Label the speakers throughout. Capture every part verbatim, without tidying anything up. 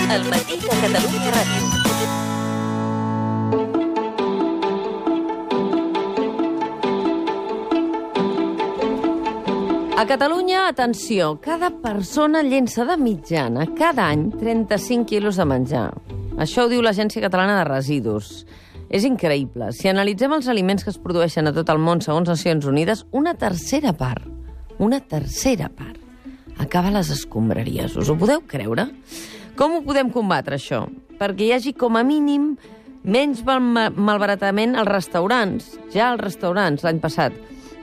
Speaker 1: El matí de Catalunya Ràdio. A Catalunya, atenció, cada persona llença de mitjana cada any trenta-cinc quilos de menjar. Això ho diu l'Agència Catalana de Residus. És increïble. Si analitzem els aliments que es produeixen a tot el món segons Nacions Unides, una tercera part, una tercera part, acaba a les escombraries. Us ho podeu creure? Com ho podem combatre, això? Perquè hi hagi, com a mínim, menys mal malbaratament als restaurants. Ja als restaurants, l'any passat,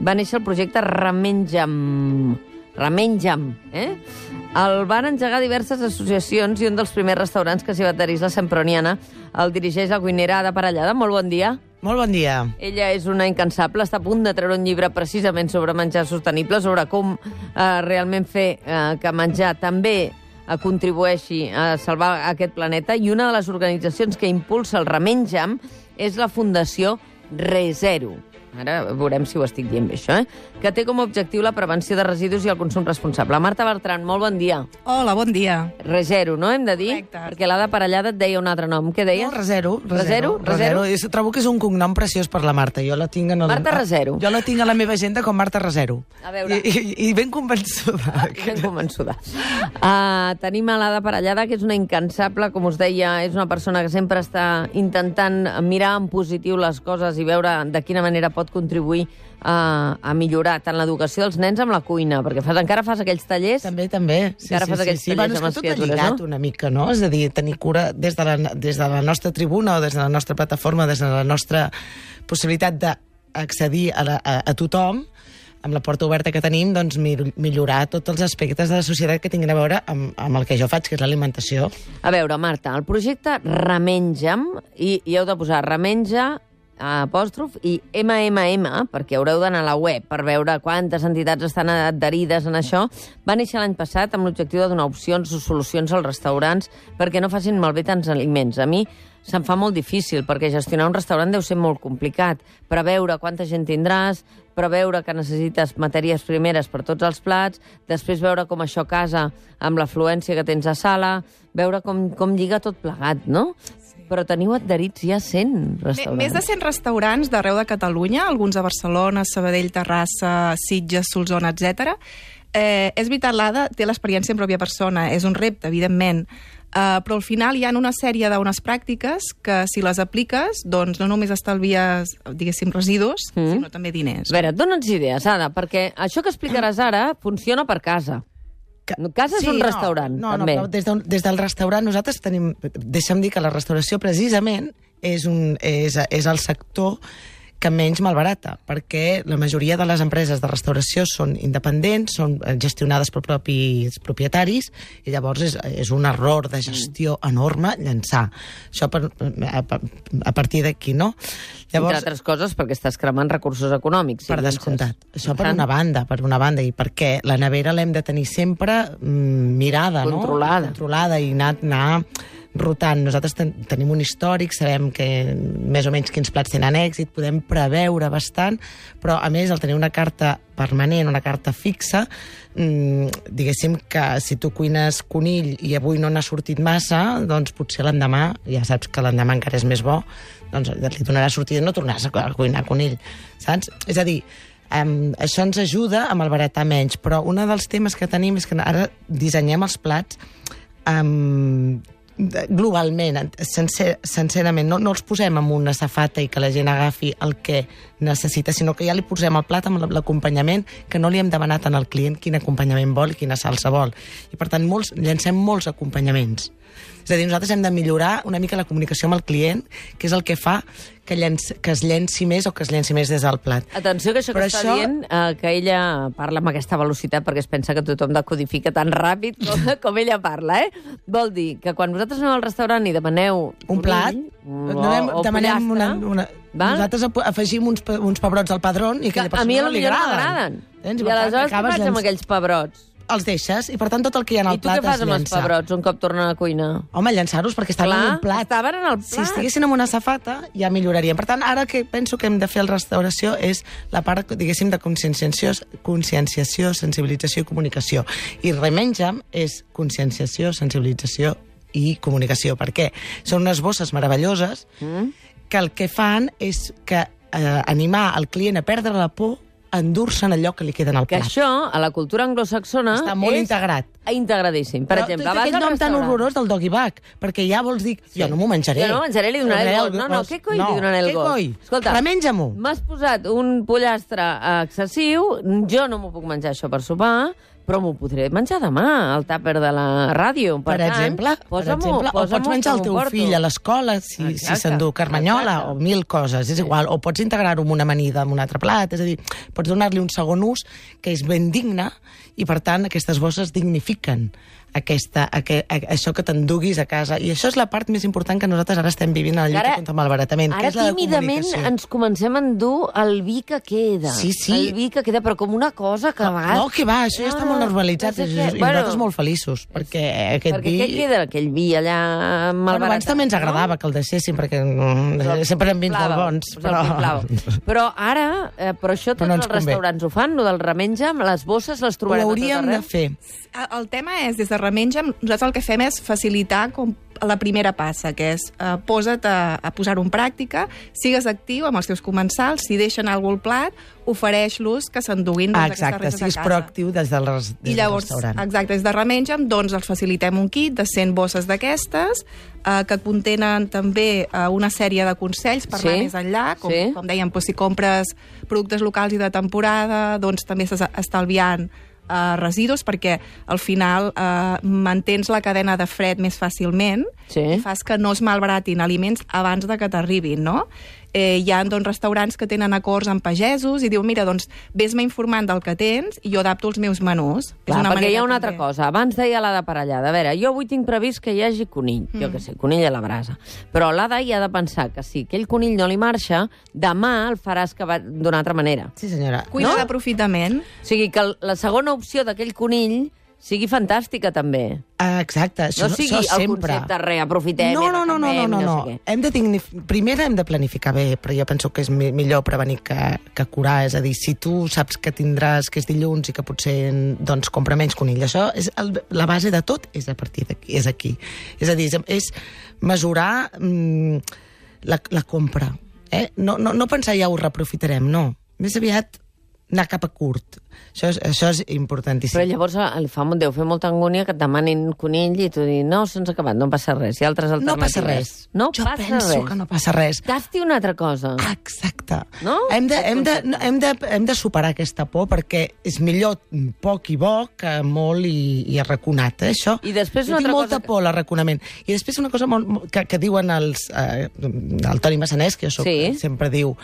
Speaker 1: va néixer el projecte Remenja'm. Remenja'm, eh? El van engegar diverses associacions i un dels primers restaurants que s'hi va adherir és la Semproniana. El dirigeix la cuinera Ada Parellada. Molt bon dia.
Speaker 2: Molt bon dia.
Speaker 1: Ella és una incansable, està a punt de treure un llibre precisament sobre menjar sostenible, sobre com eh, realment fer eh, que menjar també eh, contribueixi a salvar aquest planeta. I una de les organitzacions que impulsa el Remenja'm és la Fundació ReZero. Ara veurem si ho estic dient bé, això, eh? Que té com a objectiu la prevenció de residus i el consum responsable. Marta Bertran, molt bon dia.
Speaker 3: Hola, bon dia.
Speaker 1: ReZero, no hem de dir?
Speaker 3: Correcte.
Speaker 1: Perquè l'Ada Parellada et deia un altre nom. Què deies?
Speaker 2: No, ReZero.
Speaker 1: ReZero? ReZero?
Speaker 2: ReZero. Trobo que és un cognom preciós per la Marta. Jo la tinc en el...
Speaker 1: Marta ReZero.
Speaker 2: Jo la tinc a la meva agenda com Marta ReZero.
Speaker 1: A veure.
Speaker 2: I, i, i ben convençuda.
Speaker 1: Ben convençuda. Uh, tenim a l'Ada Parellada, que és una incansable, com us deia, és una persona que sempre està intentant mirar en positiu les coses i veure de quina manera pot contribuir a, a millorar tant l'educació dels nens amb la cuina, perquè fas, encara fas aquells tallers...
Speaker 2: També, també. Sí,
Speaker 1: encara
Speaker 2: sí,
Speaker 1: fas
Speaker 2: sí,
Speaker 1: aquells
Speaker 2: sí.
Speaker 1: tallers
Speaker 2: Bueno,
Speaker 1: amb les
Speaker 2: és que tot
Speaker 1: criatures,
Speaker 2: lligat
Speaker 1: no?
Speaker 2: una mica, no? És a dir, tenir cura des de, la, des de la nostra tribuna o des de la nostra plataforma, des de la nostra possibilitat d'accedir a, la, a, a tothom, amb la porta oberta que tenim, doncs millorar tots els aspectes de la societat que tinguin a veure amb, amb el que jo faig, que és l'alimentació.
Speaker 1: A veure, Marta, el projecte Remenja'm, i, i heu de posar Remenja, apòstrof, i eme eme eme, perquè haureu d'anar a la web per veure quantes entitats estan adherides en això, va néixer l'any passat amb l'objectiu de donar opcions o solucions als restaurants perquè no facin malbé tants aliments. A mi se'm fa molt difícil, perquè gestionar un restaurant deu ser molt complicat. Preveure quanta gent tindràs, preveure que necessites matèries primeres per tots els plats, després veure com això casa amb l'afluència que tens a sala, veure com, com lliga tot plegat, no? Però teniu adherits ja cent restaurants.
Speaker 3: Més de cent restaurants d'arreu de Catalunya, alguns a Barcelona, Sabadell, Terrassa, Sitges, Solsona, etcètera. Eh, és veritat, l'Ada té l'experiència en pròpia persona, és un repte, evidentment, uh, però al final hi ha una sèrie d'unes pràctiques que, si les apliques, doncs no només estalvies, diguéssim, residus, mm. sinó també diners.
Speaker 1: A veure, dona'ns idees, Ada, perquè això que explicaràs ara funciona per casa. Casa és
Speaker 2: sí,
Speaker 1: un
Speaker 2: no,
Speaker 1: restaurant,
Speaker 2: no,
Speaker 1: també.
Speaker 2: No, des, de, des del restaurant nosaltres tenim... Deixa'm dir que la restauració, precisament, és, un, és, és el sector que menys malbarata, perquè la majoria de les empreses de restauració són independents, són gestionades per propis propietaris, i llavors és, és un error de gestió enorme llançar. Això per, a, a partir d'aquí, no?
Speaker 1: Llavors, entre altres coses, perquè estàs cremant recursos econòmics.
Speaker 2: Per descomptat. Això per una banda, per una banda, i perquè la nevera l'hem de tenir sempre mm, mirada,
Speaker 1: controlada.
Speaker 2: no? Controlada. I anar, anar rotant. Nosaltres ten tenim un històric, sabem que més o menys quins plats tenen èxit, podem preveure bastant, però a més el tenir una carta permanent, una carta fixa, mmm, diguéssim que si tu cuines conill i avui no n'ha sortit massa, doncs potser l'endemà, ja saps que l'endemà encara és més bo, doncs li donarà sortida i no tornaràs a cuinar conill, saps? És a dir, Um, això ens ajuda a malbaratar menys, però un dels temes que tenim és que ara dissenyem els plats um, globalment, sencer, sincerament, no, no els posem en una safata i que la gent agafi el que necessita, sinó que ja li posem el plat amb l'acompanyament, que no li hem demanat al client quin acompanyament vol i quina salsa vol. I per tant, molts, llancem molts acompanyaments. És a dir, nosaltres hem de millorar una mica la comunicació amb el client, que és el que fa que, llenci, que es llenci més o que es llenci més des del plat.
Speaker 1: Atenció, que això
Speaker 2: Però
Speaker 1: que està
Speaker 2: això...
Speaker 1: dient, eh, que ella parla amb aquesta velocitat perquè es pensa que tothom decodifica tan ràpid com, com ella parla, eh? Vol dir que quan vosaltres aneu al restaurant i demaneu
Speaker 2: un plat,
Speaker 1: o,
Speaker 2: demanem,
Speaker 1: o
Speaker 2: demanem una, una...
Speaker 1: Val?
Speaker 2: Nosaltres afegim uns, uns pebrots al padrón i que, que a
Speaker 1: mi
Speaker 2: no li
Speaker 1: potser no
Speaker 2: agraden.
Speaker 1: m'agraden. I aleshores què faig amb aquells pebrots?
Speaker 2: Els deixes, i per tant tot el que hi ha en el plat es llença.
Speaker 1: I tu què fas amb els pebrots un cop tornen a cuinar?
Speaker 2: Home, llençar-los perquè estaven
Speaker 1: Clar,
Speaker 2: en un plat.
Speaker 1: estaven en el plat.
Speaker 2: Si estiguessin en una safata, ja milloraríem. Per tant, ara que penso que hem de fer la restauració és la part, diguéssim, de conscienciació, conscienciació, sensibilització i comunicació. I Remenja'm és conscienciació, sensibilització i comunicació. Per què? Són unes bosses meravelloses mm. que el que fan és que eh, animar el client a perdre la por, endur-se'n allò que li queda en el
Speaker 1: que
Speaker 2: plat.
Speaker 1: Que això, a la cultura anglosaxona...
Speaker 2: Està molt
Speaker 1: és
Speaker 2: integrat.
Speaker 1: Integradíssim. Per
Speaker 2: Però
Speaker 1: exemple,
Speaker 2: té
Speaker 1: vas
Speaker 2: aquell
Speaker 1: al
Speaker 2: nom tan
Speaker 1: restaurant.
Speaker 2: horrorós del doggy bag, perquè ja vols dir, sí. jo no m'ho menjaré.
Speaker 1: Jo no menjaré, li donaré el gos. No, no, què coi
Speaker 2: no,
Speaker 1: li donaré el
Speaker 2: què
Speaker 1: gos?
Speaker 2: coi?
Speaker 1: Escolta,
Speaker 2: remenja-m'ho.
Speaker 1: M'has posat un pollastre excessiu, jo no m'ho puc menjar això per sopar, però m'ho podré menjar demà, al tàper de la ràdio. Per,
Speaker 2: Per
Speaker 1: tant,
Speaker 2: exemple, per exemple o pots menjar el teu fill a l'escola si, si s'endú carmanyola o mil coses, és igual, o pots integrar-ho en una amanida en un altre plat, és a dir, pots donar-li un segon ús que és ben digne i per tant aquestes bosses dignifiquen aquesta, aqu a, això que t'enduguis a casa, i això és la part més important que nosaltres ara estem vivint a la lluita contra el malbaratament, que és la de
Speaker 1: tímidament
Speaker 2: comunicació.
Speaker 1: ens comencem a endur el vi que queda.
Speaker 2: Sí, sí.
Speaker 1: El vi que queda, però com una cosa que a vegades...
Speaker 2: No, que va, això ja està molt normalitzat,
Speaker 1: no sé
Speaker 2: i,
Speaker 1: què.
Speaker 2: i
Speaker 1: Bueno,
Speaker 2: nosaltres molt feliços, perquè aquest
Speaker 1: perquè
Speaker 2: vi...
Speaker 1: què queda, aquell vi allà malbaratat?
Speaker 2: Bueno, abans també ens agradava no? que el deixéssim, perquè mm, sempre hem vins molt bons.
Speaker 1: Però... però ara, eh, però això tots
Speaker 2: però no
Speaker 1: els restaurants ho fan, el del remenja, les bosses les trobarem a tot arreu.
Speaker 2: Ho hauríem de fer.
Speaker 3: El tema és, des de Remenja, nosaltres el que fem és facilitar com la primera passa, que és eh, posa't a, a posar-ho en pràctica, sigues actiu amb els teus comensals, si deixen algú al plat, ofereix-los que s'enduguin
Speaker 2: ah,
Speaker 3: aquestes restes a casa.
Speaker 2: Exacte, siguis proactiu des del, des
Speaker 3: I llavors,
Speaker 2: del restaurant.
Speaker 3: Exacte, des de Remenja, doncs els facilitem un kit de cent bosses d'aquestes, eh, que contenen també eh, una sèrie de consells per
Speaker 1: sí,
Speaker 3: anar més enllà, com,
Speaker 1: sí.
Speaker 3: com dèiem, doncs, si compres productes locals i de temporada, doncs també estàs estalviant Uh, residus, perquè al final uh, mantens la cadena de fred més fàcilment
Speaker 1: sí.
Speaker 3: i fas que no es malbaratin aliments abans de que t'arribin, no? Eh, hi ha doncs, restaurants que tenen acords amb pagesos i diu, mira, doncs, vés-me informant del que tens i jo adapto els meus menús.
Speaker 1: Clar,
Speaker 3: és una
Speaker 1: perquè hi ha una
Speaker 3: també.
Speaker 1: altra cosa. Abans deia l'Ada Parellada. A veure, jo avui tinc previst que hi hagi conill, mm. jo què sé, conill a la brasa. Però l'Ada hi ha de pensar que si aquell conill no li marxa, demà el faràs que va d'una altra manera.
Speaker 2: Sí, senyora.
Speaker 3: Cuina
Speaker 1: no?
Speaker 3: d'aprofitament.
Speaker 1: O sigui, que la segona opció d'aquell conill sigui fantàstica, també.
Speaker 2: Ah, exacte, això,
Speaker 1: no sigui
Speaker 2: això
Speaker 1: el
Speaker 2: sempre.
Speaker 1: concepte reaprofitem,
Speaker 2: no, no, no, no, no, no, no.
Speaker 1: no sé
Speaker 2: hem de dignif... Primer hem de planificar bé, però jo penso que és mi millor prevenir que, que curar. És a dir, si tu saps que tindràs, que és dilluns i que potser doncs, compra menys conill, això és el, la base de tot és a partir d'aquí, és aquí. És a dir, és, és mesurar mm, la, la compra. Eh? No, no, no pensar ja ho reaprofitarem, no. Més aviat anar cap a curt. Això és, això és importantíssim.
Speaker 1: Però llavors el fa, deu fer molta angúnia que et demanin conill i tu dius, no, se'ns ha acabat, no passa res. Hi ha altres alternatives.
Speaker 2: No passa res.
Speaker 1: No
Speaker 2: jo
Speaker 1: passa
Speaker 2: penso
Speaker 1: res.
Speaker 2: que no passa res.
Speaker 1: Gasti una altra cosa.
Speaker 2: Exacte.
Speaker 1: No?
Speaker 2: Hem de, hem, de, hem, de, hem de superar aquesta por perquè és millor poc i bo que molt i, i arraconat, eh, això.
Speaker 1: I després
Speaker 2: jo
Speaker 1: una
Speaker 2: tinc
Speaker 1: altra
Speaker 2: molta
Speaker 1: cosa
Speaker 2: por, l'arraconament. I després una cosa molt, que, que diuen els, eh, el Toni Massanès, que jo soc,
Speaker 1: sí.
Speaker 2: sempre diu,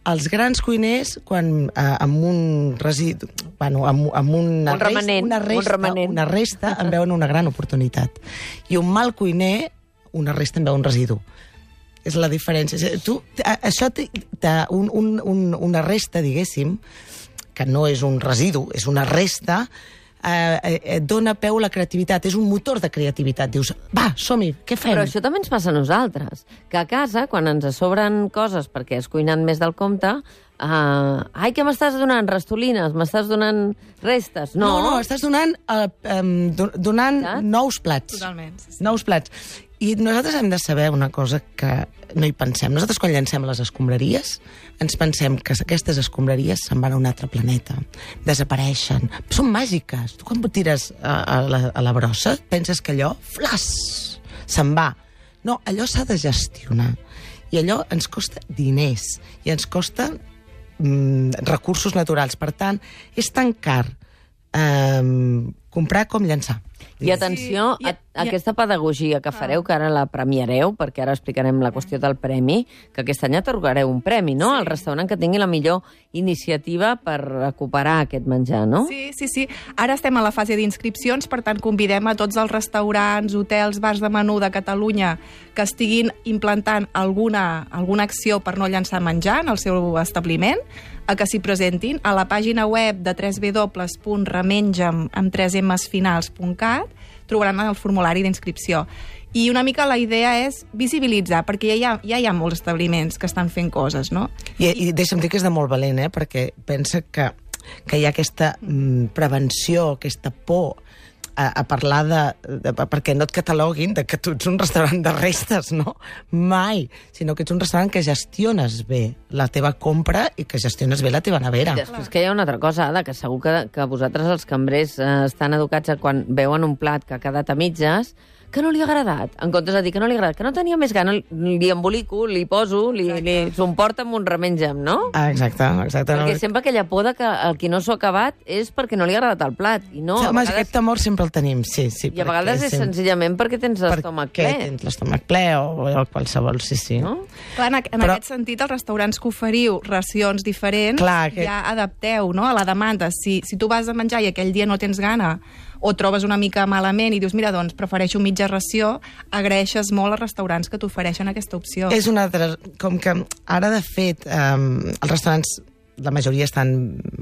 Speaker 2: els grans cuiners, quan eh, amb un residu, bueno, amb, amb una,
Speaker 1: un remanent,
Speaker 2: resta, una, resta,
Speaker 1: un remanent.
Speaker 2: una resta en veuen una gran oportunitat. I un mal cuiner, una resta en veu un residu. És la diferència. Tu, això té, té un, un, un, una resta, diguéssim, que no és un residu, és una resta, eh, eh, dona peu a la creativitat, és un motor de creativitat. Dius, va, som-hi, què fem?
Speaker 1: Però això també ens passa a nosaltres, que a casa, quan ens sobren coses perquè has cuinat més del compte, uh, ai, què m'estàs donant? Restolines? M'estàs donant restes? No,
Speaker 2: no, no estàs donant, uh, um, donant
Speaker 3: Saps?
Speaker 2: nous plats.
Speaker 3: Totalment. Sí, sí.
Speaker 2: Nous plats. I nosaltres hem de saber una cosa que no hi pensem. Nosaltres, quan llancem les escombraries, ens pensem que aquestes escombraries se'n van a un altre planeta, desapareixen, són màgiques. Tu quan tires a, a, la, a la brossa, penses que allò, flas, se'n va. No, allò s'ha de gestionar. I allò ens costa diners, i ens costa mm, recursos naturals. Per tant, és tan car eh, comprar com llançar.
Speaker 1: I atenció
Speaker 3: Sí,
Speaker 1: a, a aquesta pedagogia que fareu, que ara la premiareu, perquè ara explicarem la qüestió del premi, que aquest any atorgareu un premi, no?, al restaurant que tingui la millor iniciativa per recuperar aquest menjar, no?
Speaker 3: Sí, sí, sí. Ara estem a la fase d'inscripcions, per tant, convidem a tots els restaurants, hotels, bars de menú de Catalunya que estiguin implantant alguna, alguna acció per no llançar menjar en el seu establiment, a que s'hi presentin a la pàgina web de w w w punt remenja'm amb tres emes finals punt cat, trobaran el formulari d'inscripció. I una mica la idea és visibilitzar, perquè ja hi ha, ja hi ha molts establiments que estan fent coses, no?
Speaker 2: I, i deixa'm dir que és de molt valent, eh? Perquè pensa que, que hi ha aquesta mm, prevenció, aquesta por a, a parlar de, de... perquè no et cataloguin de que tu ets un restaurant de restes, no? Mai. Sinó que ets un restaurant que gestiones bé la teva compra i que gestiones bé la teva nevera.
Speaker 1: I després que hi ha una altra cosa, Ada, que segur que, que vosaltres, els cambrers, eh, estan educats a quan veuen un plat que ha quedat a mitges, que no li ha agradat, en comptes de dir que no li ha agradat, que no tenia més gana, li embolico, li poso, li, li s'emporta amb un remenja'm, no?
Speaker 2: Ah, exacte, exacte.
Speaker 1: Perquè
Speaker 2: no...
Speaker 1: sempre aquella por de que el qui no s'ho ha acabat és perquè no li ha agradat el plat. I no,
Speaker 2: sí, home,
Speaker 1: vegades...
Speaker 2: aquest temor sempre el tenim, sí. sí
Speaker 1: I a vegades és
Speaker 2: sempre...
Speaker 1: senzillament perquè tens l'estómac ple.
Speaker 2: Perquè tens l'estómac ple o, o qualsevol, sí, sí.
Speaker 1: No?
Speaker 3: Clar, en, en
Speaker 2: Però...
Speaker 3: aquest sentit, els restaurants que oferiu racions diferents,
Speaker 2: Clar, que...
Speaker 3: ja adapteu, no?, a la demanda. Si, si tu vas a menjar i aquell dia no tens gana o trobes una mica malament i dius, mira, doncs prefereixo mitja ració, agraeixes molt als restaurants que t'ofereixen aquesta opció.
Speaker 2: És una altra... Com que ara, de fet, um, els restaurants, la majoria estan...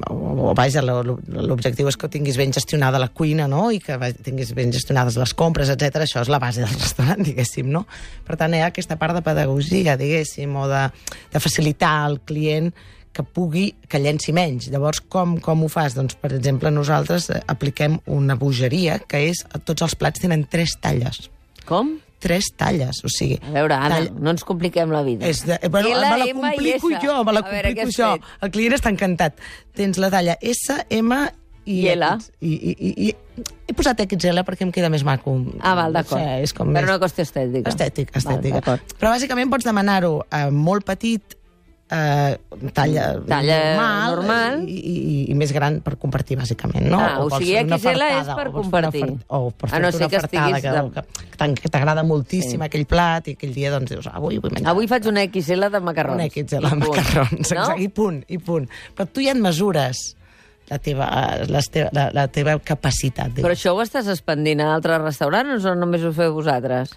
Speaker 2: O, o vaja, l'objectiu és que tinguis ben gestionada la cuina, no?, i que tinguis ben gestionades les compres, etcètera. Això és la base del restaurant, diguéssim, no? Per tant, hi ha aquesta part de pedagogia, diguéssim, o de, de facilitar al client que pugui, que llenci menys. Llavors, com, com ho fas? Doncs, per exemple, nosaltres apliquem una bogeria, que és, tots els plats tenen tres talles.
Speaker 1: Com?
Speaker 2: Tres talles, o sigui...
Speaker 1: A veure, Anna,
Speaker 2: tall...
Speaker 1: no ens compliquem la vida.
Speaker 2: És de... bueno,
Speaker 1: L,
Speaker 2: me la
Speaker 1: M,
Speaker 2: complico
Speaker 1: i S.
Speaker 2: jo, me la
Speaker 1: A veure,
Speaker 2: complico
Speaker 1: què
Speaker 2: jo.
Speaker 1: has fet?
Speaker 2: El client està encantat. Tens la talla S, M i...
Speaker 1: I L.
Speaker 2: I, i, i, i... He posat X L perquè em queda més maco.
Speaker 1: Ah, val, d'acord.
Speaker 2: O sigui, és com
Speaker 1: per
Speaker 2: més...
Speaker 1: una qüestió estètica.
Speaker 2: Estètic, estètica.
Speaker 1: Val,
Speaker 2: però bàsicament pots demanar-ho eh, molt petit, eh, talla,
Speaker 1: talla
Speaker 2: normal,
Speaker 1: normal.
Speaker 2: I, i, i més gran per compartir, bàsicament, no?
Speaker 1: Ah, o, o sigui,
Speaker 2: una
Speaker 1: X L és
Speaker 2: fartada,
Speaker 1: per
Speaker 2: o vols fer
Speaker 1: compartir.
Speaker 2: una fart- O per
Speaker 1: A no
Speaker 2: fer-te
Speaker 1: ser
Speaker 2: una
Speaker 1: que
Speaker 2: fartada
Speaker 1: estiguis
Speaker 2: que, que, que, que t'agrada moltíssim,
Speaker 1: Sí.
Speaker 2: aquell plat, i aquell dia doncs dius, avui vull menjar.
Speaker 1: Avui faig una X L de macarrons.
Speaker 2: Una X L
Speaker 1: I
Speaker 2: de
Speaker 1: punt.
Speaker 2: macarrons,
Speaker 1: No?
Speaker 2: exacte, i punt, i punt. Però tu ja et mesures la teva, les teva, la, la teva capacitat.
Speaker 1: Però això ho estàs expandint a altres restaurants o només ho feu vosaltres?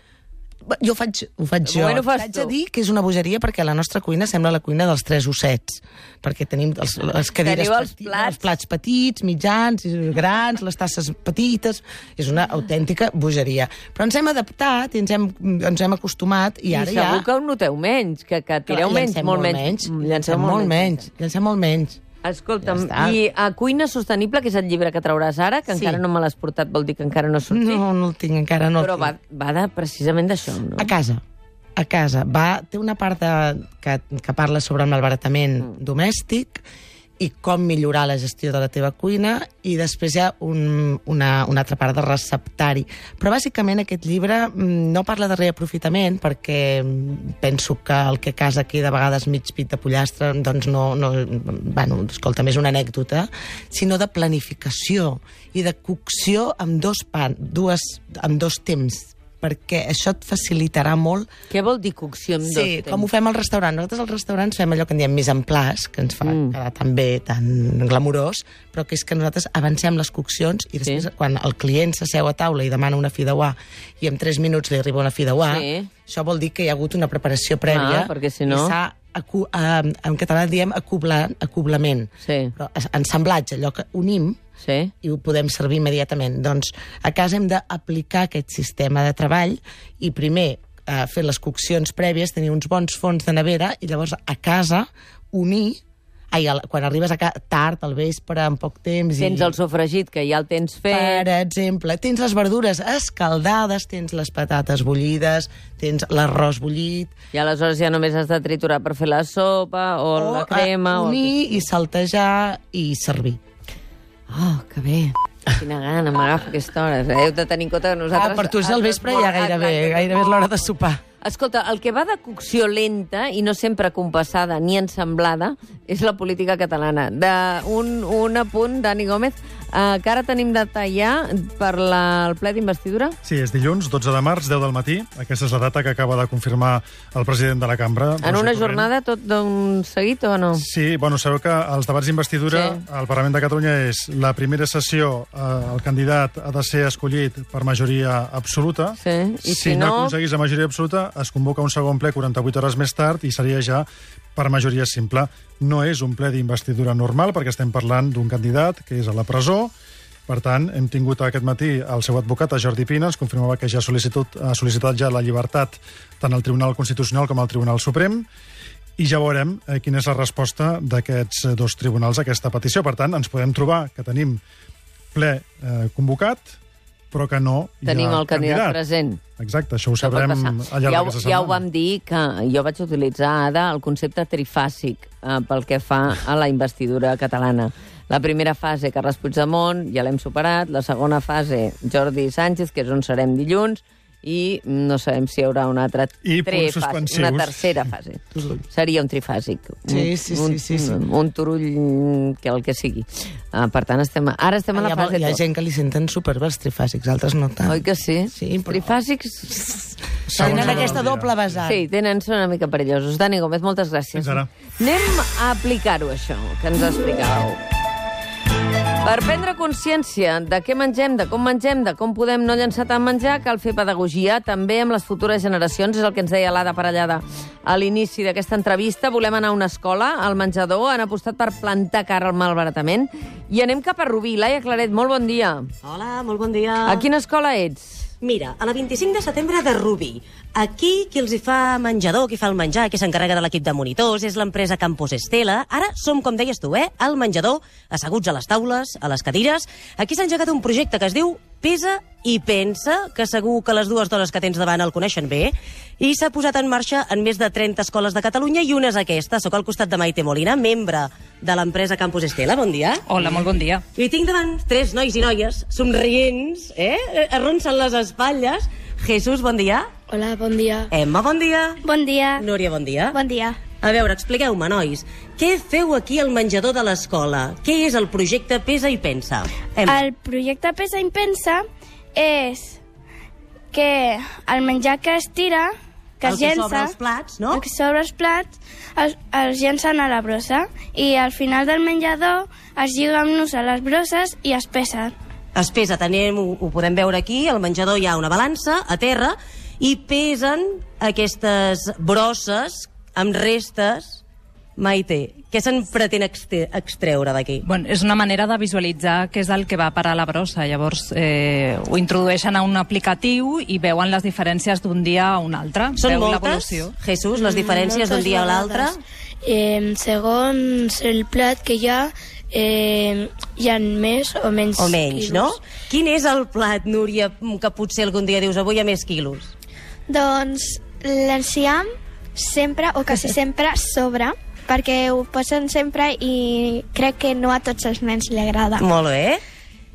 Speaker 2: Jo ho faig, ho faig
Speaker 1: De
Speaker 2: jo.
Speaker 1: moment ho fas
Speaker 2: T'haig
Speaker 1: tu.
Speaker 2: de dir que és una bogeria perquè la nostra cuina sembla la cuina dels tres ossets. Perquè tenim els, les cadires
Speaker 1: Teniu els
Speaker 2: peti-
Speaker 1: plats.
Speaker 2: els plats petits, mitjans, grans, les tasses petites. És una autèntica bogeria. Però ens hem adaptat i ens hem, ens hem acostumat i
Speaker 1: I
Speaker 2: ara
Speaker 1: segur
Speaker 2: ja...
Speaker 1: que ho noteu menys, que, que tireu
Speaker 2: Clar,
Speaker 1: menys,
Speaker 2: llancem
Speaker 1: molt menys. Mm,
Speaker 2: Llancem molt menys. Llancem molt menys.
Speaker 1: Escolta'm,
Speaker 2: Ja està.
Speaker 1: i a Cuina Sostenible, que és el llibre que trauràs ara, que
Speaker 2: Sí.
Speaker 1: encara no me l'has portat, vol dir que encara no ha sortit,
Speaker 2: No, no el tinc, encara no el
Speaker 1: però va,
Speaker 2: tinc.
Speaker 1: va de, precisament d'això, no?
Speaker 2: A casa. A casa. Va, té una part de, que, que parla sobre el malbaratament mm. domèstic i com millorar la gestió de la teva cuina, i després hi ha un, una, una altra part de receptari. Però bàsicament aquest llibre no parla de reaprofitament, perquè penso que el que a casa queda a vegades mig pit de pollastre, doncs no, no bueno, escolta, és una anècdota, sinó de planificació i de cocció amb dos, pan, dues, amb dos temps, perquè això et facilitarà molt.
Speaker 1: Què vol dir cocció amb dos
Speaker 2: Sí,
Speaker 1: temps?
Speaker 2: com ho fem al restaurant. Nosaltres als restaurants fem allò que en diem mise en place, que ens fa
Speaker 1: Mm.
Speaker 2: quedar tan bé, tan glamurós, però que és que nosaltres avancem les coccions i després,
Speaker 1: Sí.
Speaker 2: quan el client s'asseu a taula i demana una fideuà i en tres minuts li arriba una fideuà,
Speaker 1: Sí.
Speaker 2: això vol dir que hi ha hagut una preparació prèvia
Speaker 1: Ah, perquè si no-
Speaker 2: i s'ha, acu- eh, en català en diem acoblar, acoblament.
Speaker 1: Sí,
Speaker 2: Però ensamblatge, allò que unim
Speaker 1: sí.
Speaker 2: i ho podem servir immediatament. Doncs a casa hem d'aplicar aquest sistema de treball i primer eh, fer les coccions prèvies, tenir uns bons fons de nevera i llavors a casa unir. Ai, al- quan arribes a casa tard, al vespre, en poc temps...
Speaker 1: Tens
Speaker 2: i,
Speaker 1: el sofregit, que ja el tens fet.
Speaker 2: per exemple, tens les verdures escaldades, tens les patates bullides, tens l'arròs bullit...
Speaker 1: I aleshores ja només has de triturar per fer la sopa o, la crema.
Speaker 2: eh,
Speaker 1: o el que
Speaker 2: unir i saltejar i servir.
Speaker 1: Oh, que bé. Quina gana m'agafa aquesta hora. Heu de tenir en compte que nosaltres...
Speaker 2: Ah, per tu és al vespre ja gairebé,
Speaker 1: Exacte.
Speaker 2: gairebé és l'hora de sopar.
Speaker 1: Escolta, el que va de cocció lenta i no sempre compassada ni ensemblada és la política catalana. De un, un apunt, Dani Gómez, eh, que ara tenim data ja per la, el ple d'investidura.
Speaker 4: Sí, és dilluns, dotze de març, deu del matí. Aquesta és la data que acaba de confirmar el president de la cambra.
Speaker 1: En una
Speaker 4: Roger Torrent.
Speaker 1: jornada tot d'un seguit o no?
Speaker 4: Sí, bueno, sabeu que els debats d'investidura
Speaker 1: Sí.
Speaker 4: al Parlament de Catalunya és la primera sessió, eh, el candidat ha de ser escollit per majoria absoluta.
Speaker 1: Sí, i
Speaker 4: si,
Speaker 1: si
Speaker 4: no
Speaker 1: no-
Speaker 4: aconseguís la majoria absoluta, es convoca un segon ple quaranta-vuit hores més tard i seria ja per majoria simple. No és un ple d'investidura normal, perquè estem parlant d'un candidat que és a la presó. Per tant, hem tingut aquest matí el seu advocat, el Jordi Pina, ens confirmava que ja ha sol·licitat, ha sol·licitat ja la llibertat tant al Tribunal Constitucional com al Tribunal Suprem, i ja veurem eh, quina és la resposta d'aquests eh, dos tribunals a aquesta petició. Per tant, ens podem trobar que tenim ple eh, convocat però que no hi
Speaker 1: Tenim
Speaker 4: ha
Speaker 1: el candidat,
Speaker 4: candidat
Speaker 1: present.
Speaker 4: Exacte, això ho sabrem al llarg
Speaker 1: ja,
Speaker 4: d'aquesta setmana.
Speaker 1: ja ho vam dir, que jo vaig utilitzar, Ada, el concepte trifàsic eh, pel que fa a la investidura catalana. La primera fase, Carles Puigdemont, ja l'hem superat. La segona fase, Jordi Sánchez, que és on serem dilluns, i no sabem si hi haurà una altra
Speaker 4: I punts
Speaker 1: trefase,
Speaker 4: suspensius.
Speaker 1: una tercera fase. Seria un trifàsic.
Speaker 2: Sí, sí,
Speaker 1: un,
Speaker 2: sí, sí, sí.
Speaker 1: Un, un turull, que el que sigui. Uh, per tant, estem, ara estem a la
Speaker 2: Hi ha,
Speaker 1: fase...
Speaker 2: hi ha
Speaker 1: dos.
Speaker 2: gent que li senten superbé els trifàsics, altres no tant.
Speaker 1: Oi que sí?
Speaker 2: Sí, però-
Speaker 1: Trifàsics...
Speaker 4: Segons
Speaker 2: Tenen
Speaker 4: l'hora
Speaker 2: aquesta
Speaker 4: del dia.
Speaker 2: doble vessant.
Speaker 1: Sí, tenen, són una mica perillosos. Dani Gómez, moltes gràcies.
Speaker 4: Fins ara.
Speaker 1: Anem a aplicar-ho, això, que ens explicàveu. Per prendre consciència de què mengem, de com mengem, de com podem no llançar tant menjar, cal fer pedagogia també amb les futures generacions. És el que ens deia l'Ada Parellada a l'inici d'aquesta entrevista. Volem anar a una escola, al menjador, han apostat per plantar cara al malbaratament. I anem cap a Rubí. Laia Claret, molt bon dia.
Speaker 5: Hola, molt bon dia.
Speaker 1: A quina escola ets?
Speaker 5: Mira, a la vint-i-cinc de setembre de Rubí. Aquí qui els hi fa menjador, qui fa el menjar, qui s'encarrega de l'equip de monitors, és l'empresa Campos Estela. Ara som, com deies tu, eh? Al menjador, asseguts a les taules, a les cadires. Aquí s'ha engegat un projecte que es diu Pesa i Pensa, que segur que les dues dones que tens davant el coneixen bé, i s'ha posat en marxa en més de trenta escoles de Catalunya, i una és aquesta. Soc al costat de Maite Molina, membre de l'empresa Campos Estela. Bon dia.
Speaker 6: Hola, molt bon dia.
Speaker 5: I tinc davant tres nois i noies somrients, eh? Arronsen les espatlles. Jesús, bon dia.
Speaker 7: Hola, bon dia.
Speaker 5: Emma, bon dia.
Speaker 7: Bon dia.
Speaker 5: Núria, bon dia.
Speaker 7: Bon dia.
Speaker 5: A veure, expliqueu-me, nois, què feu aquí al menjador de l'escola? Què és el projecte Pesa i Pensa? Emma.
Speaker 7: El projecte Pesa i Pensa és que el menjar que es tira, que
Speaker 5: El
Speaker 7: es
Speaker 5: que
Speaker 7: llença...
Speaker 5: sobra als plats, no?
Speaker 7: El que sobra els plats, els, els llencen a la brossa. I al final del menjador es lliga amb nus a les brosses i es pesen.
Speaker 5: Es pesa, tenim, ho, ho podem veure aquí, al menjador hi ha una balança a terra i pesen aquestes brosses amb restes. Maite, què se'n pretén exte- extreure d'aquí?
Speaker 6: Bueno, és una manera de visualitzar què és el que va a parar a la brossa. Llavors eh, ho introdueixen a un aplicatiu i veuen les diferències d'un dia a un altre.
Speaker 5: Són
Speaker 6: Veu
Speaker 5: moltes,
Speaker 6: l'evolució.
Speaker 5: Jesús, les diferències d'un dia a l'altre?
Speaker 7: Eh, segons el plat que hi ha, eh, hi ha més o menys
Speaker 5: O menys,
Speaker 7: quilos.
Speaker 5: no? Quin és el plat, Núria, que potser algun dia dius avui hi ha més quilos?
Speaker 8: Doncs l'enciam sempre, o quasi sempre, sobra, perquè ho posen sempre i crec que no a tots els nens li agrada.
Speaker 5: Molt bé.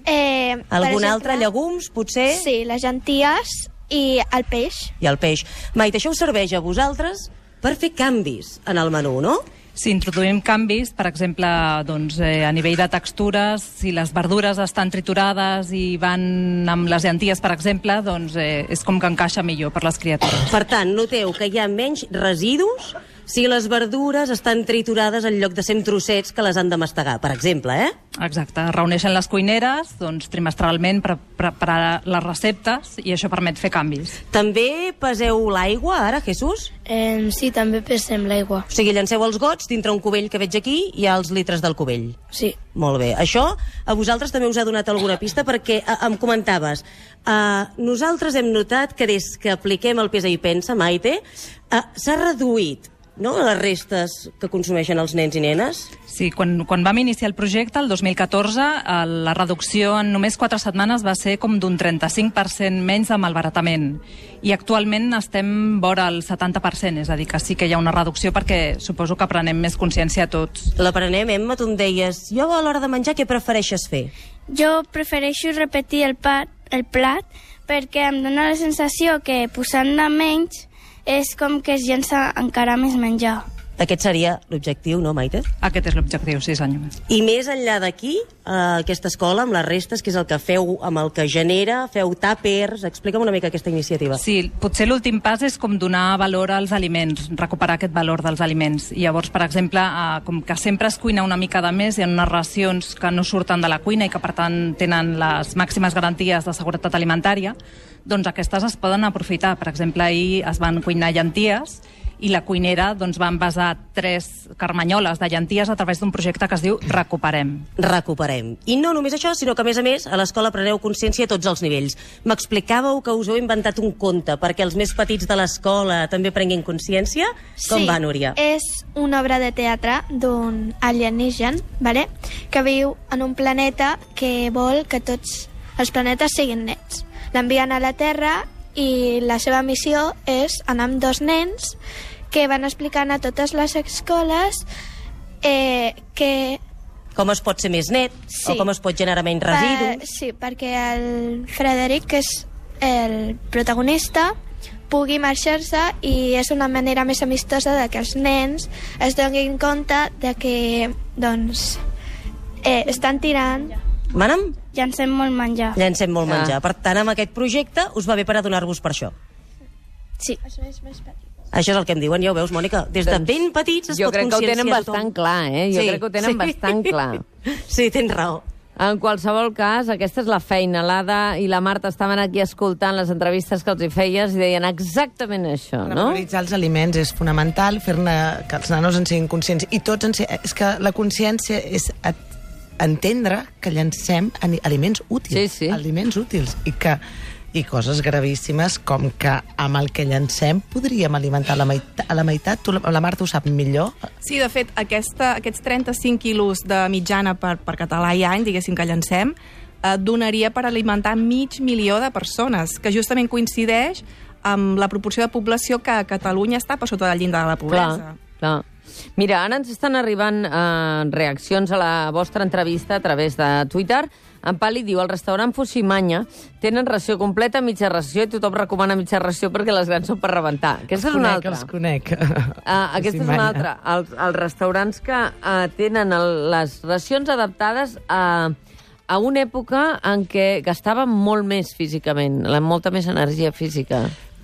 Speaker 8: Eh, per
Speaker 5: Algun
Speaker 8: exemple,
Speaker 5: altre, llegums, potser?
Speaker 8: Sí, les llenties i el peix.
Speaker 5: I el peix. Maite, això us serveix a vosaltres per fer canvis en el menú, no?
Speaker 6: Si introduïm canvis, per exemple, doncs, eh, a nivell de textures, si les verdures estan triturades i van amb les llenties, per exemple, doncs eh, és com que encaixa millor per les criatures.
Speaker 5: Per tant, noteu que hi ha menys residus si les verdures estan triturades en lloc de ser en trossets que les han de mastegar, per exemple, eh?
Speaker 6: Exacte. Es reuneixen les cuineres doncs, trimestralment per preparar les receptes i això permet fer canvis.
Speaker 5: També peseu l'aigua, ara, Jesús?
Speaker 7: Eh, sí, també pesem l'aigua.
Speaker 5: O sigui, llanceu els gots dintre un cubell que veig aquí i hi ha els litres del cubell.
Speaker 7: Sí.
Speaker 5: Molt bé. Això a vosaltres també us ha donat alguna pista perquè eh, em comentaves, eh, nosaltres hem notat que des que apliquem el Pesa i Pensa, Maite, eh, s'ha reduït, no?, les restes que consumeixen els nens i nenes.
Speaker 6: Sí, quan, quan vam iniciar el projecte, el dos mil catorze, eh, la reducció en només quatre setmanes va ser com d'un trenta-cinc per cent menys de malbaratament. I actualment estem vora el setanta per cent, és a dir, que sí que hi ha una reducció perquè suposo que prenem més consciència tots.
Speaker 5: L'aprenem, Emma, tu em deies, jo a l'hora de menjar què prefereixes fer?
Speaker 7: Jo prefereixo repetir el, pa, el plat perquè em dóna la sensació que posant-ne menys és com que es llença encara més menjar.
Speaker 5: Aquest seria l'objectiu, no, Maite?
Speaker 6: Aquest és l'objectiu, sí senyor.
Speaker 5: I més enllà d'aquí, eh, aquesta escola, amb les restes, que és el que feu amb el que genera, feu tàpers, explica'm una mica aquesta iniciativa.
Speaker 6: Sí, potser l'últim pas és com donar valor als aliments, recuperar aquest valor dels aliments. I llavors, per exemple, eh, com que sempre es cuina una mica de més, hi ha unes racions que no surten de la cuina i que, per tant, tenen les màximes garanties de seguretat alimentària, doncs aquestes es poden aprofitar. Per exemple, ahir es van cuinar llenties i la cuinera doncs, va envasar tres carmanyoles de llenties a través d'un projecte que es diu Recuperem.
Speaker 5: Recuperem. I no només això, sinó que, a més a més, a l'escola preneu consciència a tots els nivells. M'explicàveu que us heu inventat un conte perquè els més petits de l'escola també prenguin consciència? Com
Speaker 8: sí,
Speaker 5: va, Núria?
Speaker 8: És una obra de teatre d'un alienígen, vale? Que viu en un planeta que vol que tots els planetes siguin nets. L'envien a la Terra i la seva missió és anar amb dos nens que van explicant a totes les escoles eh, que...
Speaker 5: Com es pot ser més net,
Speaker 8: Sí.
Speaker 5: o com es pot generar menys residus.
Speaker 8: Per, sí, perquè el Frederic, que és el protagonista, pugui marxar-se i és una manera més amistosa de que els nens es donin compte de que, doncs, eh, estan tirant...
Speaker 5: Mana'm?
Speaker 7: Llancem molt menjar.
Speaker 5: Llancem molt
Speaker 1: Ah.
Speaker 5: menjar. Per tant, amb aquest projecte us va bé per adonar-vos per això.
Speaker 7: Sí.
Speaker 8: Això és més petit.
Speaker 5: Això és el que em diuen, ja ho veus, Mònica. Des de
Speaker 1: Doncs
Speaker 5: ben petits es
Speaker 1: jo
Speaker 5: pot
Speaker 1: crec que ho
Speaker 5: conscienciar
Speaker 1: tenen
Speaker 5: a tothom.
Speaker 1: bastant clar, eh? Jo
Speaker 5: Sí,
Speaker 1: crec que ho tenen
Speaker 5: sí.
Speaker 1: bastant clar.
Speaker 5: Sí, tens raó.
Speaker 1: En qualsevol cas, aquesta és la feina. L'Ada i la Marta estaven aquí escoltant les entrevistes que els hi feies i deien exactament això, no?
Speaker 2: Revaloritzar els aliments és fonamental, fer-ne que els nanos en siguin conscients. I tots en si... És que la consciència és at- entendre que llancem ani- aliments útils.
Speaker 1: Sí, sí.
Speaker 2: Aliments útils. I que i coses gravíssimes com que amb el que llancem podríem alimentar la meitat, a la meitat. Tu, la Marta ho sap millor.
Speaker 3: Sí, de fet, aquesta, aquests trenta-cinc quilos de mitjana per, per català i any, diguéssim, que llancem, eh, donaria per alimentar mig milió de persones, que justament coincideix amb la proporció de població que a Catalunya està per sota del llindar de la pobresa.
Speaker 1: Clar, clar. Mira, ara ens estan arribant eh, reaccions a la vostra entrevista a través de Twitter. En Pali diu, al restaurant Fuximanya tenen ració completa, mitja ració, i tothom recomana mitja ració perquè les grans són per rebentar. Aquesta és una
Speaker 2: conec,
Speaker 1: altra.
Speaker 2: Els conec.
Speaker 1: Uh, aquesta és una altra. Els, els restaurants que uh, tenen el, les racions adaptades a, a una època en què gastaven molt més físicament, la, molta més energia física.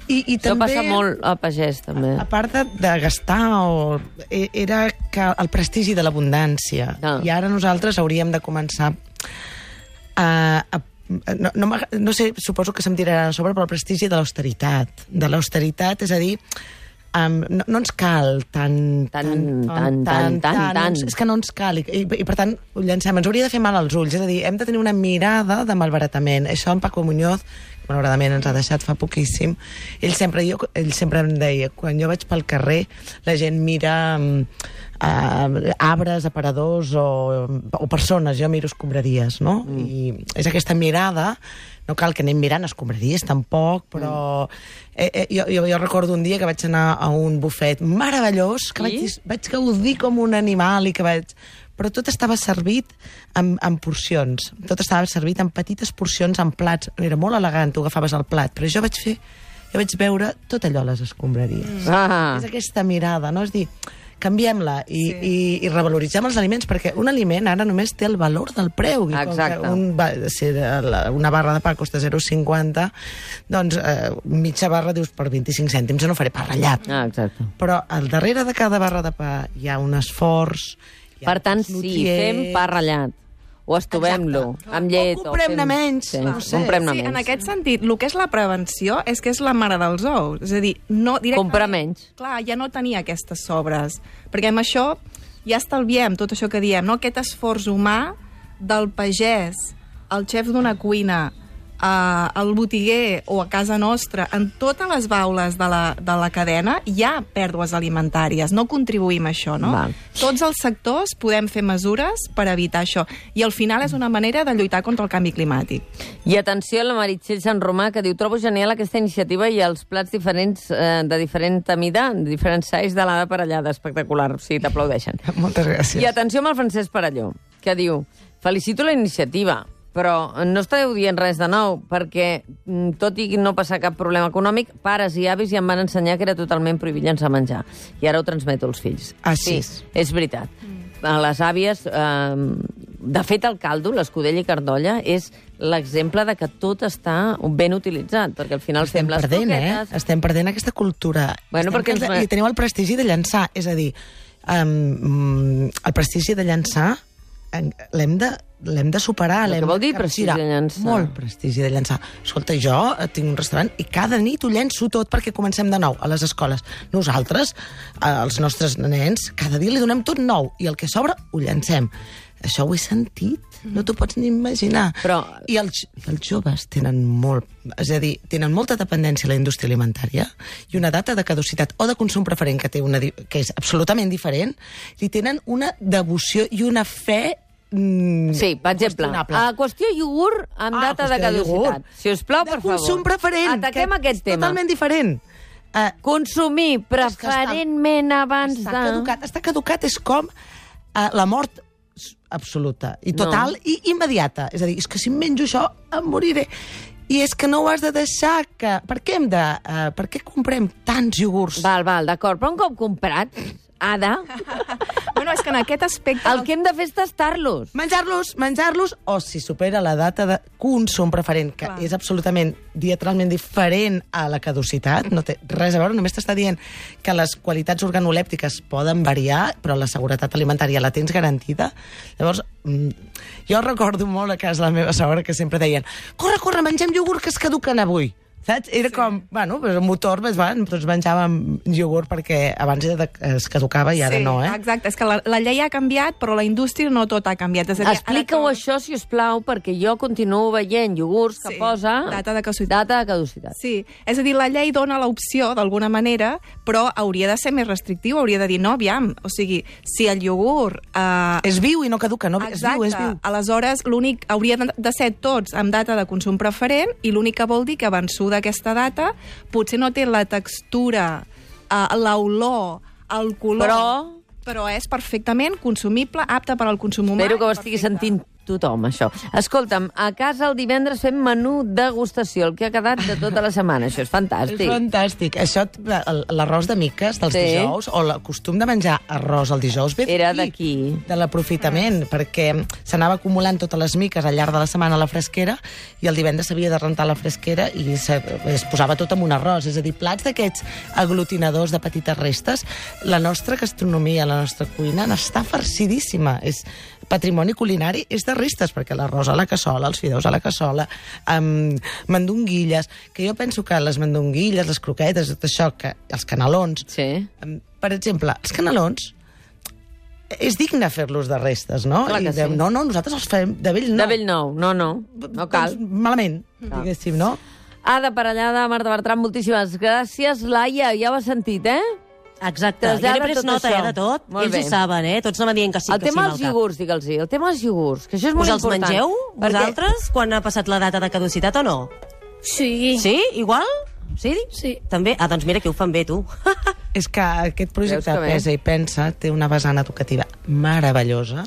Speaker 2: I, i
Speaker 1: Això
Speaker 2: també,
Speaker 1: passa molt a pagès, també.
Speaker 2: A part de, de gastar, o, e- era que el prestigi de l'abundància.
Speaker 1: Ah.
Speaker 2: I ara nosaltres hauríem de començar a... a no, no, m'ag- no sé, suposo que se'm tirarà a sobre, però el prestigi de l'austeritat. De l'austeritat, és a dir, um, no, no ens cal tan...
Speaker 1: Tan, tan, tan, tan,
Speaker 2: no
Speaker 1: tan.
Speaker 2: ens- És que no ens cal, i, i, i per tant ho llancem. Ens hauria de fer mal als ulls, és a dir, hem de tenir una mirada de malbaratament. Això en Paco Muñoz, que malauradament ens ha deixat fa poquíssim, ell sempre, jo, ell sempre em deia, quan jo vaig pel carrer, la gent mira uh, arbres, aparadors o, o persones, jo miro escombraries, no? Mm. I és aquesta mirada, no cal que anem mirant escombraries tampoc, però eh, eh, jo, jo, jo recordo un dia que vaig anar a un bufet meravellós, que
Speaker 1: I?
Speaker 2: vaig, dis- vaig gaudir com un animal i que vaig... Però tot estava servit en, en porcions. Tot estava servit en petites porcions, en plats. Era molt elegant, tu agafaves el plat, però jo vaig fer... Jo vaig veure tot allò a les escombraries.
Speaker 1: Ah.
Speaker 2: És aquesta mirada, no? És dir, canviem-la i, sí. i, i revaloritzem els aliments, perquè un aliment ara només té el valor del preu. I com
Speaker 1: Exacte.
Speaker 2: que un, va, si la- una barra de pa costa zero coma cinquanta, doncs eh, mitja barra dius per vint-i-cinc cèntims, no faré pa ratllat.
Speaker 1: Ah, exacte.
Speaker 2: Però al darrere de cada barra de pa hi ha un esforç. hi ha
Speaker 1: Per tant,
Speaker 2: uns
Speaker 1: sí,
Speaker 2: nutrients.
Speaker 1: fem pa ratllat. O estovem-lo, amb llet.
Speaker 2: O comprem-ne
Speaker 1: fem-
Speaker 2: menys,
Speaker 1: Sí,
Speaker 2: no sé.
Speaker 1: comprem-ne
Speaker 3: Sí, en
Speaker 1: menys.
Speaker 3: aquest sentit, el que és la prevenció és que és la mare dels ous. És a dir, no directament...
Speaker 1: Comprar menys.
Speaker 3: Clar, ja no tenir aquestes sobres. Perquè amb això ja estalviem tot això que diem, no? Aquest esforç humà del pagès, el xef d'una cuina, eh, el botiguer o a casa nostra, en totes les baules de la, de la cadena hi ha pèrdues alimentàries. No contribuïm a això, no?
Speaker 1: Val.
Speaker 3: Tots els sectors podem fer mesures per evitar això. I al final és una manera de lluitar contra el canvi climàtic.
Speaker 1: I atenció a la Meritxell Sant Romà, que diu, trobo genial aquesta iniciativa i els plats diferents, eh, de diferent mida, de diferents size de l'Ada Parellada. Espectacular, sí, t'aplaudeixen.
Speaker 2: Moltes gràcies.
Speaker 1: I atenció amb el Francesc Parelló, que diu, felicito la iniciativa, però no esteu dient res de nou, perquè mm, tot i no passar cap problema econòmic, pares i avis ja em van ensenyar que era totalment prohibit llançar menjar. I ara ho transmeto als fills.
Speaker 2: Ah, sí?
Speaker 1: Sí, és veritat. A les àvies... Eh, de fet, el caldo, l'escudella i cardolla, és l'exemple de que tot està ben utilitzat, perquè al final
Speaker 2: Estem
Speaker 1: fem les
Speaker 2: perdent,
Speaker 1: croquetes...
Speaker 2: eh? Estem perdent aquesta cultura.
Speaker 1: Bueno,
Speaker 2: Estem
Speaker 1: perquè ens-
Speaker 2: perdent- I teniu el prestigi de llançar. És a dir, um, el prestigi de llançar en- l'hem de, l'hem de superar.
Speaker 1: Però
Speaker 2: l'hem
Speaker 1: què vol
Speaker 2: de
Speaker 1: dir prestigi
Speaker 2: capgirar.
Speaker 1: de llançar?
Speaker 2: Molt prestigi de llançar. Escolta, jo eh, tinc un restaurant i cada nit ho llenço tot perquè comencem de nou a les escoles. Nosaltres, eh, els nostres nens, cada dia li donem tot nou i el que sobra ho llancem. Això ho he sentit, no t'ho pots ni imaginar.
Speaker 1: Però-
Speaker 2: I els, i els joves tenen molt... És a dir, tenen molta dependència a la indústria alimentària i una data de caducitat o de consum preferent que té una, di- que és absolutament diferent, i tenen una devoció i una fe mm,
Speaker 1: Sí, per exemple,
Speaker 2: qüestionable.
Speaker 1: a qüestió iogurt amb
Speaker 2: Ah,
Speaker 1: data de
Speaker 2: qüestió de
Speaker 1: caducitat.
Speaker 2: iogurt.
Speaker 1: Si us plau,
Speaker 2: de
Speaker 1: per favor.
Speaker 2: consum preferent.
Speaker 1: Ataquem
Speaker 2: que
Speaker 1: aquest
Speaker 2: és
Speaker 1: tema.
Speaker 2: totalment diferent. Uh,
Speaker 1: Consumir preferentment abans
Speaker 2: està
Speaker 1: de...
Speaker 2: caducat. Està caducat, és com uh, la mort absoluta i total
Speaker 1: No.
Speaker 2: i immediata. És a dir, és que si em menjo això em moriré. I és que no ho has de deixar que... Per què hem de... Uh, per què comprem tants iogurts?
Speaker 1: Val, val, d'acord, però un cop comprat, Ada,
Speaker 3: Bueno, és que en aquest aspecte...
Speaker 1: el que hem de fer és tastar-los.
Speaker 2: Menjar-los, menjar-los, o si supera la data de consum preferent, que
Speaker 3: Clar.
Speaker 2: és absolutament diametralment diferent a la caducitat, no té res a veure, només t'està dient que les qualitats organolèptiques poden variar, però la seguretat alimentària la tens garantida. Llavors, mm, jo recordo molt a casa la meva sogra que sempre deien corre, corre, mengem iogurt que es caduquen avui. Saps? Era sí. com, bueno, pues, un motor, pues, van, tots menjàvem iogurt perquè abans era de, es caducava i ara
Speaker 3: sí,
Speaker 2: no, eh?
Speaker 3: Exacte, és que la, la llei ha canviat, però la indústria no tot ha canviat. És a dir,
Speaker 1: Explica-ho
Speaker 3: ara
Speaker 1: això, si us plau, perquè jo continuo veient iogurts que
Speaker 3: Sí,
Speaker 1: posa...
Speaker 3: data de caducitat.
Speaker 1: Data de caducitat.
Speaker 3: Sí, és a dir, la llei dona l'opció d'alguna manera, però hauria de ser més restrictiu, hauria de dir, no, aviam, o sigui, si el iogurt... Eh,
Speaker 2: És viu i no caduca, no? És
Speaker 3: Exacte.
Speaker 2: viu, és viu.
Speaker 3: Aleshores, l'únic hauria de- de ser tots amb data de consum preferent i l'únic que vol dir que vençuda aquesta data potser no té la textura, uh, l'olor, el color...
Speaker 1: Però-
Speaker 3: Però és perfectament consumible, apte per al consum humà.
Speaker 1: Espero que ho
Speaker 3: i
Speaker 1: estigui
Speaker 3: perfecte.
Speaker 1: sentint tothom, això. Escolta'm, a casa el divendres fem menú degustació, el que ha quedat de tota la setmana. Això és fantàstic.
Speaker 2: És fantàstic. Això, el- l'arròs de miques dels
Speaker 1: Sí.
Speaker 2: dijous, o el costum de menjar arròs el dijous, ve
Speaker 1: Era d'aquí.
Speaker 2: de l'aprofitament, perquè s'anava acumulant totes les miques al llarg de la setmana a la fresquera i el divendres s'havia de rentar la fresquera i se, es posava tot en un arròs. És a dir, plats d'aquests aglutinadors de petites restes. La nostra gastronomia, la nostra cuina, n'està farcidíssima. És patrimoni culinari, és de restes, perquè l'arròs a la cassola, els fideus a la cassola, amb mandonguilles, que jo penso que les mandonguilles, les croquetes, tot això, que els canelons,
Speaker 1: Sí.
Speaker 2: em, per exemple, els canelons, és digne fer-los de restes, no?
Speaker 1: Clar que
Speaker 2: I de,
Speaker 1: sí.
Speaker 2: No, no, nosaltres els fem de vell nou.
Speaker 1: De vell nou, no, no, no cal.
Speaker 2: Doncs malament, diguéssim, no?
Speaker 1: Ada Parellada, Marta Bertran, moltíssimes gràcies. Laia, ja ho has sentit, eh?
Speaker 5: Exacte, jo
Speaker 1: Trasllada
Speaker 5: n'he pres
Speaker 1: tot
Speaker 5: nota
Speaker 1: això.
Speaker 5: eh, de tot.
Speaker 1: Molt
Speaker 5: Ells
Speaker 1: bé.
Speaker 5: ho saben, eh? Tots anaven dient que sí,
Speaker 1: El
Speaker 5: que sí
Speaker 1: tema
Speaker 5: amb
Speaker 1: dels
Speaker 5: el cap.
Speaker 1: iogurts, digue'ls. El tema dels iogurts, que això és molt
Speaker 5: Us els
Speaker 1: important.
Speaker 5: mengeu,
Speaker 1: Perquè-
Speaker 5: vosaltres, quan ha passat la data de caducitat o no?
Speaker 8: Sí.
Speaker 5: Sí? Igual? Sí?
Speaker 8: Sí.
Speaker 5: També? Ah, doncs mira que ho fan bé, tu.
Speaker 2: És que aquest projecte
Speaker 1: Veus que bé?
Speaker 2: Pesa i Pensa té una vessant educativa meravellosa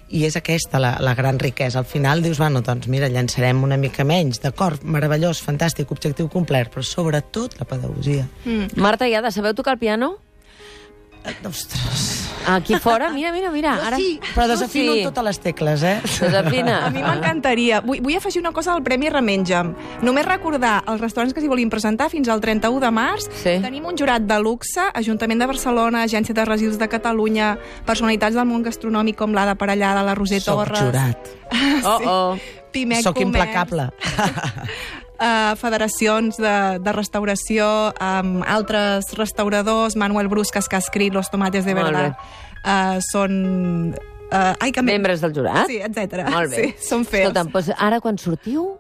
Speaker 2: i és aquesta la, la gran riquesa. Al final dius, bueno, doncs mira, llançarem una mica menys, d'acord, meravellós, fantàstic, objectiu complert, però sobretot la pedagogia.
Speaker 1: Marta i Ada, sabeu tocar el piano?
Speaker 2: Ostres...
Speaker 1: Aquí fora? Mira, mira, mira.
Speaker 2: Jo
Speaker 1: Ara...
Speaker 2: sí, però
Speaker 1: Tu
Speaker 2: desafino
Speaker 1: sí.
Speaker 2: totes les tecles, eh?
Speaker 1: Desafina.
Speaker 3: A mi m'encantaria. Vull, vull afegir una cosa al Premi Remenja'm. Només recordar els restaurants que s'hi volien presentar fins al trenta-u de març.
Speaker 1: Sí.
Speaker 3: Tenim un jurat de luxe, Ajuntament de Barcelona, Agència de Residus de Catalunya, personalitats del món gastronòmic com l'Ada Parellada, la Roser
Speaker 2: Soc
Speaker 3: Torres...
Speaker 2: jurat.
Speaker 1: Oh, oh.
Speaker 3: Pimec
Speaker 2: Soc
Speaker 3: Comerç,
Speaker 2: implacable.
Speaker 3: uh, federacions de, de restauració, amb altres restauradors, Manuel Bruscas, que ha escrit Los tomates de
Speaker 1: Molt
Speaker 3: verdad, uh, són... Uh, ai, que
Speaker 1: Membres del jurat?
Speaker 3: Sí, etcètera.
Speaker 1: Molt bé.
Speaker 3: Sí, són fers.
Speaker 1: Escolta'm, doncs ara quan sortiu,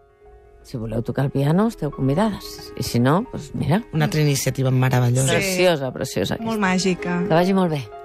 Speaker 1: si voleu tocar el piano, esteu convidades. I si no, doncs mira,
Speaker 2: Una altra iniciativa meravellosa.
Speaker 3: Sí.
Speaker 1: preciosa, preciosa.
Speaker 3: Molt
Speaker 1: Aquesta.
Speaker 3: màgica.
Speaker 1: Que vagi molt bé.